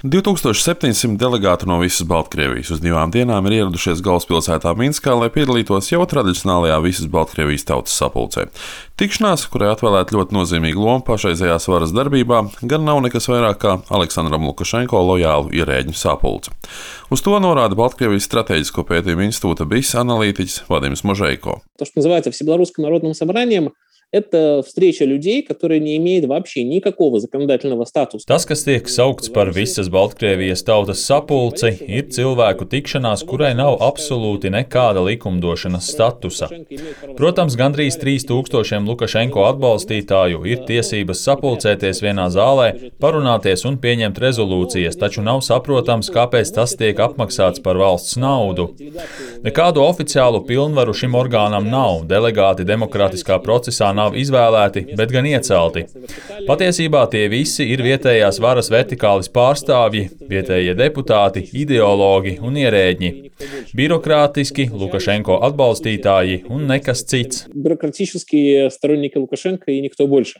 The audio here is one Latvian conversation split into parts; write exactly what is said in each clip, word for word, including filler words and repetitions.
divi tūkstoši septiņsimt delegātu no visas Baltkrievijas uz divām dienām ir ieradušies galvaspilsētā Minskā, lai piedalītos jau tradicionālajā visas Baltkrievijas tautas sapulcē. Tikšanās, kurai atvēlēta ļoti nozīmīga loma pašreizējās varas darbībā, gan nav nekas vairāk kā Aleksandram Lukašenko lojālu ierēģu sapulce. Uz to norāda Baltkrievijas strateģisko pētījumu institūta B I S analītiķis Vadims Možeiko. То, что называется Всебелорусским народным собранием, это встреча людей, которые не имеют вообще никакого законодательного статуса. Tas, kas tiek saukts par visas Baltkrievijas tautas sapulci, ir cilvēku tikšanās, kurai nav absolūti nekāda likumdošanas statusa. Protams, gandrīz trīs tūkstošiem Lukašenko atbalstītāju ir tiesības sapulcēties vienā zālē, parunāties un pieņemt rezolūcijas, taču nav saprotams, kāpēc tas tiek apmaksāts par valsts naudu. Nekādu oficiālu pilnvaru šim orgānam nav, delegāti demokrātiskā procesā nav izvēlēti, bet gan iecelti. Patiesībā tie visi ir vietējās varas vertikālis pārstāvji, vietējie deputāti, ideologi un ierēģi. Birokrātiski Lukašenko atbalstītāji un nekas cits. Бюрократические сторонники Лукашенко и никто больше.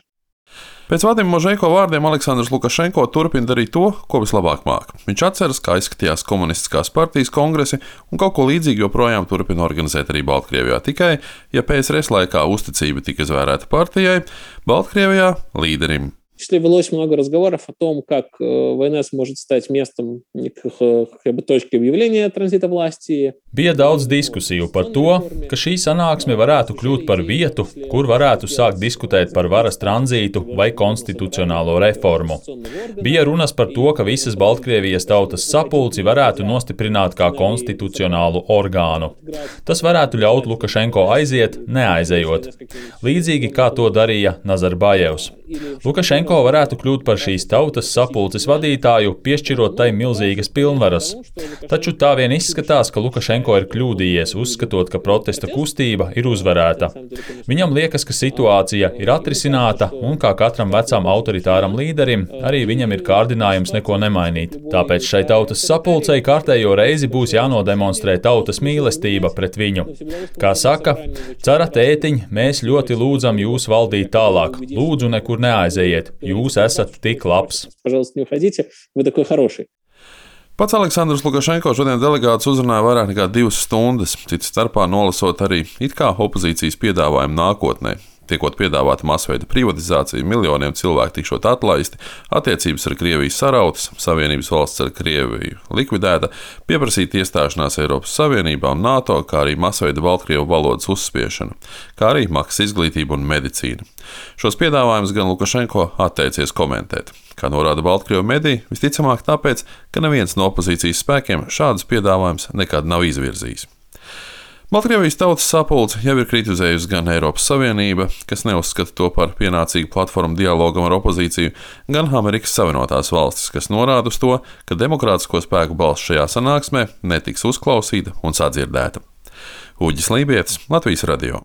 Pēc Vadima Možeiko vārdiem Aleksandrs Lukašenko turpina darīt to, ko vislabāk māca. Viņš atceras, kā izskatījās komunistiskās partijas kongresi, un kaut ko līdzīgu joprojām turpina organizēt arī Baltkrievijā. Tikai, ja P S R S laikā uzticība tika izvērēta partijai, Baltkrievijā līderim. Велось много разговоров о том, как война сможет стать местом как бы точки объявления транзита власти. Bija daudz diskusiju par to, ka šī sanāksme varētu kļūt par vietu, kur varētu sākt diskutēt par varas tranzītu vai konstitucionālo reformu. Bija runas par to, ka visas Baltkrievijas tautas sapulci varētu nostiprināt kā konstitucionālu orgānu. Tas varētu ļaut Lukašenko aiziet, neaizejot. Līdzīgi kā to darīja Nazarbajevs. Lukašenko varētu kļūt par šīs tautas sapulces vadītāju, piešķirot tai milzīgas pilnvaras. Taču tā vien izskatās, ka Lukašenko ir kļūdījies, uzskatot, ka protesta kustība ir uzvarēta. Viņam liekas, ka situācija ir atrisināta un, kā katram vecam autoritāram līderim, arī viņam ir kārdinājums neko nemainīt. Tāpēc šai tautas sapulcei kārtējo reizi būs jānodemonstrē tautas mīlestība pret viņu. Kā saka, cara tētiņ, mēs ļoti lūdzam jūs valdīt tālāk. Lūdzu, nekur neaizejiet. Jūs esat tik labs. Pats Aleksandrs Lukašenko šodien delegātus uzrunāja vairāk nekā divas stundas, cits starpā nolasot arī it kā opozīcijas piedāvājumu nākotnē. Tiekot piedāvāta masveida privatizācija, miljoniem cilvēku tikšot atlaisti, attiecības ar Krieviju sarautas, Savienības valsts ar Krieviju likvidēta, pieprasīt iestāšanās Eiropas Savienībā un NATO, kā arī masveida Baltkrievu valodas uzspiešana, kā arī maksas izglītība un medicīna. Šos piedāvājumus gan Lukašenko atteicies komentēt. Kā norāda Baltkrievu mediji, visticamāk tāpēc, ka neviens no opozīcijas spēkiem šādus piedāvājumus nekad nav izvirzījis. Baltkrievijas tautas sapulce jau ir kritizējusi gan Eiropas Savienība, kas neuzskata to par pienācīgu platformu dialogam ar opozīciju, gan Amerikas Savienotās valstis, kas norāda uz to, ka demokrātisko spēku balss šajā sanāksmē netiks uzklausīta un sadzirdēta. Uģis Lībietis, Latvijas radio.